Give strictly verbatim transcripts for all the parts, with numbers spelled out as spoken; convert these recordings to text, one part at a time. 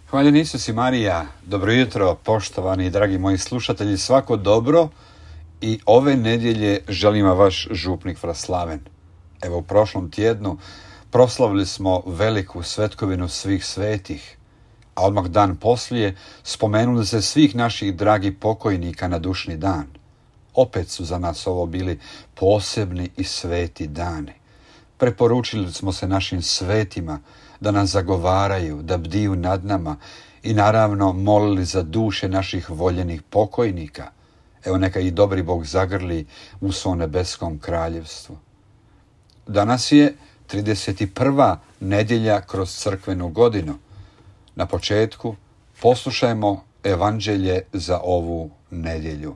Hvaljen Isus i Marija, dobro jutro, poštovani i dragi moji slušatelji, svako dobro i ove nedjelje želim vam vaš župnik Fraslaven. Evo u prošlom tjednu proslavili smo veliku svetkovinu svih svetih, a odmah dan poslije spomenuli se svih naših dragih pokojnika na dušni dan. Opet su za nas ovo bili posebni i sveti dani. Preporučili smo se našim svetima da nas zagovaraju, da bdiju nad nama i naravno molili za duše naših voljenih pokojnika. Evo neka ih dobri Bog zagrli u svom nebeskom kraljevstvu. Danas je trideset prva nedjelja kroz crkvenu godinu. Na početku poslušajmo evanđelje za ovu nedjelju.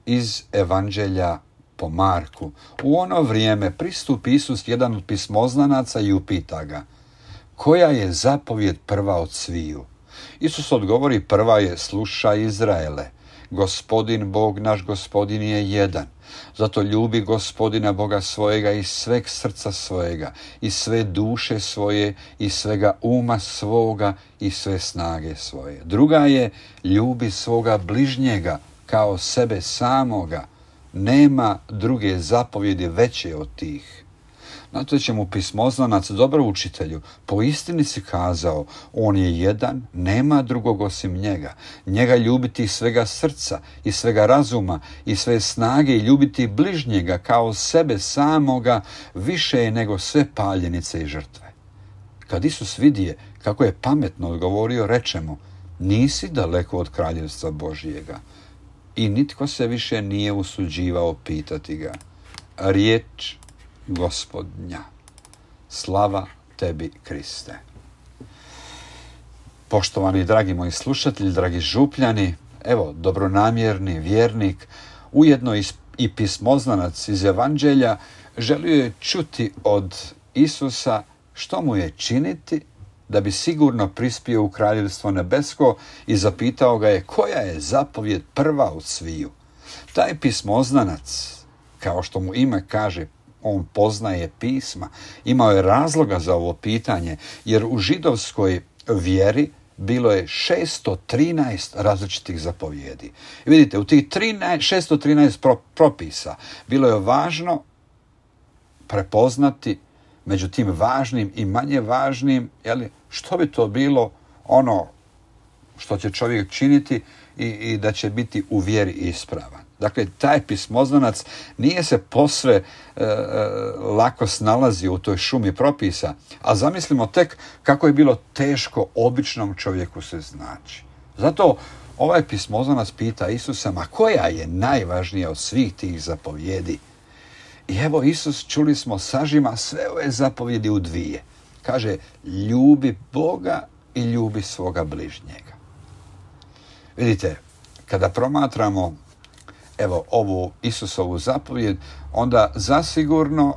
Iz evanđelja po Marku. U ono vrijeme pristupi Isus jedan od pismoznanaca i upita ga: koja je zapovjed prva od sviju? Isus odgovori: prva je: slušaj Izraele, Gospodin Bog naš Gospodin je jedan. Zato ljubi Gospodina Boga svojega iz sveg srca svojega, iz sve duše svoje, iz svega uma svoga i sve snage svoje. Druga je: ljubi svoga bližnjega kao sebe samoga. Nema druge zapovjedi veće od tih. Na to će mu pismoznanac: dobro učitelju, po istini si kazao, on je jedan, nema drugog osim njega. Njega ljubiti iz svega srca, iz svega razuma, iz sve snage i ljubiti bližnjega kao sebe samoga više je nego sve paljenice i žrtve. Kad Isus vidije kako je pametno odgovorio, reče mu: nisi daleko od kraljevstva Božjega. I nitko se više nije usuđivao pitati ga. Riječ Gospodnja. Slava tebi, Kriste. Poštovani dragi moji slušatelji, dragi župljani, evo dobronamjerni vjernik, ujedno i pismoznanac iz evanđelja, želio je čuti od Isusa što mu je činiti da bi sigurno prispio u kraljevstvo nebesko i zapitao ga je: koja je zapovjed prva od sviju? Taj pismoznanac, kao što mu ime kaže, on poznaje pisma, imao je razloga za ovo pitanje, jer u židovskoj vjeri bilo je šesto trinaest različitih zapovjedi. I vidite, u tih šesto trinaest propisa bilo je važno prepoznati među tim važnim i manje važnim, jeli, što bi to bilo ono što će čovjek činiti i, i da će biti u vjeri ispravan. Dakle, taj pismoznanac nije se posve e, e, lako snalazio u toj šumi propisa, a zamislimo tek kako je bilo teško običnom čovjeku se znaći. Zato ovaj pismoznanac pita Isusa: ma koja je najvažnija od svih tih zapovjedi? I evo Isus, čuli smo, sažima sve ove zapovjedi u dvije. Kaže: ljubi Boga i ljubi svoga bližnjega. Vidite, kada promatramo evo ovu Isusovu zapovjed, onda zasigurno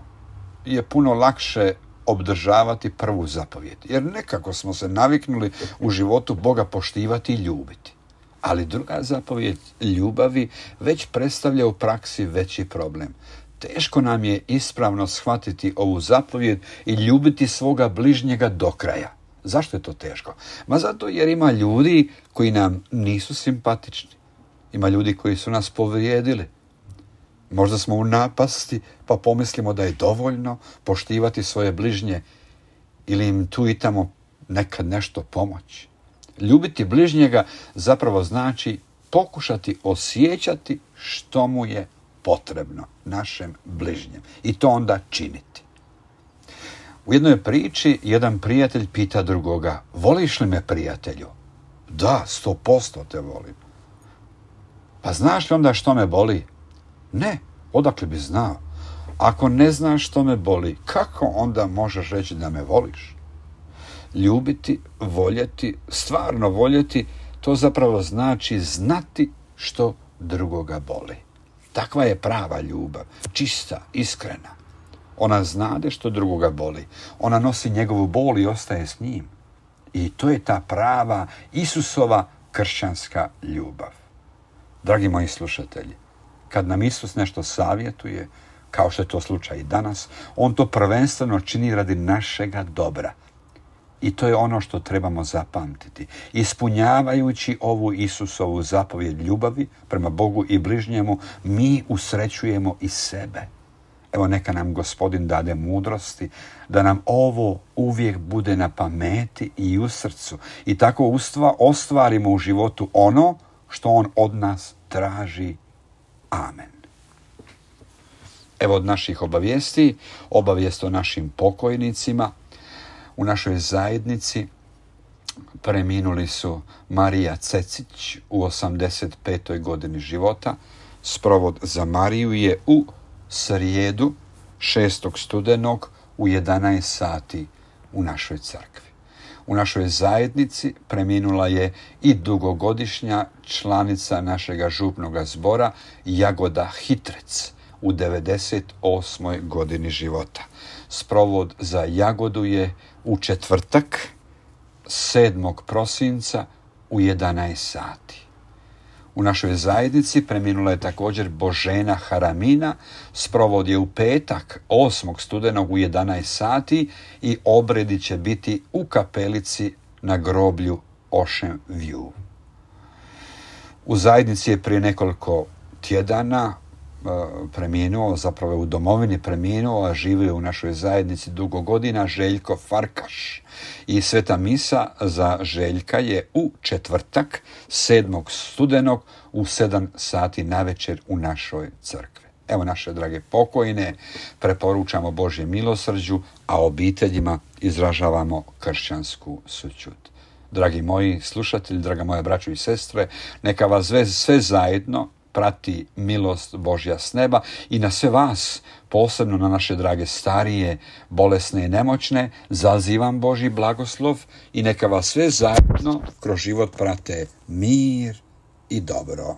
je puno lakše obdržavati prvu zapovjed. Jer nekako smo se naviknuli u životu Boga poštivati i ljubiti. Ali druga zapovjed ljubavi već predstavlja u praksi veći problem. Teško nam je ispravno shvatiti ovu zapovjed i ljubiti svoga bližnjega do kraja. Zašto je to teško? Ma zato jer ima ljudi koji nam nisu simpatični. Ima ljudi koji su nas povrijedili. Možda smo u napasti pa pomislimo da je dovoljno poštivati svoje bližnje ili im tu i tamo nekad nešto pomoći. Ljubiti bližnjega zapravo znači pokušati osjećati što mu je potrebno našem bližnjem i to onda činiti. U jednoj priči jedan prijatelj pita drugoga: voliš li me, prijatelju? Da, sto posto te volim. Pa znaš li onda što me boli? Ne, odakle bi znao? Ako ne znaš što me boli, kako onda možeš reći da me voliš? Ljubiti, voljeti, stvarno voljeti, to zapravo znači znati što drugoga boli. Takva je prava ljubav, čista, iskrena. Ona znade što drugoga boli. Ona nosi njegovu bol i ostaje s njim. I to je ta prava Isusova kršćanska ljubav. Dragi moji slušatelji, kad nam Isus nešto savjetuje, kao što je to slučaj i danas, on to prvenstveno čini radi našega dobra. I to je ono što trebamo zapamtiti. Ispunjavajući ovu Isusovu zapovjed ljubavi prema Bogu i bližnjemu, mi usrećujemo i sebe. Evo, neka nam Gospodin dade mudrosti da nam ovo uvijek bude na pameti i u srcu. I tako ustva ostvarimo u životu ono što On od nas traži. Amen. Evo od naših obavijesti, obavijest o našim pokojnicima. U našoj zajednici preminuli su Marija Cecić u osamdeset petoj godini života. Sprovod za Mariju je u srijedu šestog studenog u jedanaest sati u našoj crkvi. U našoj zajednici preminula je i dugogodišnja članica našega župnoga zbora Jagoda Hitrec u devedeset osmoj godini života. Sprovod za Jagodu je u četvrtak sedmog prosinca u jedanaest sati. U našoj zajednici preminula je također Božena Haramina. Sprovod je u petak osmog studenog u jedanaest sati i obredi će biti u kapelici na groblju Ocean View. U zajednici je prije nekoliko tjedana preminuo, zapravo u domovini preminuo, a živio u našoj zajednici dugo godina, Željko Farkaš. I sveta misa za Željka je u četvrtak sedmog studenog u sedam sati navečer u našoj crkvi. Evo, naše drage pokojne preporučamo Božje milosrđu, a obiteljima izražavamo kršćansku sućut. Dragi moji slušatelji, draga moja braćo i sestre, neka vas sve, sve zajedno prati milost Božja s neba i na sve vas, posebno na naše drage starije, bolesne i nemoćne, zazivam Božji blagoslov i neka vas sve zajedno kroz život prate mir i dobro.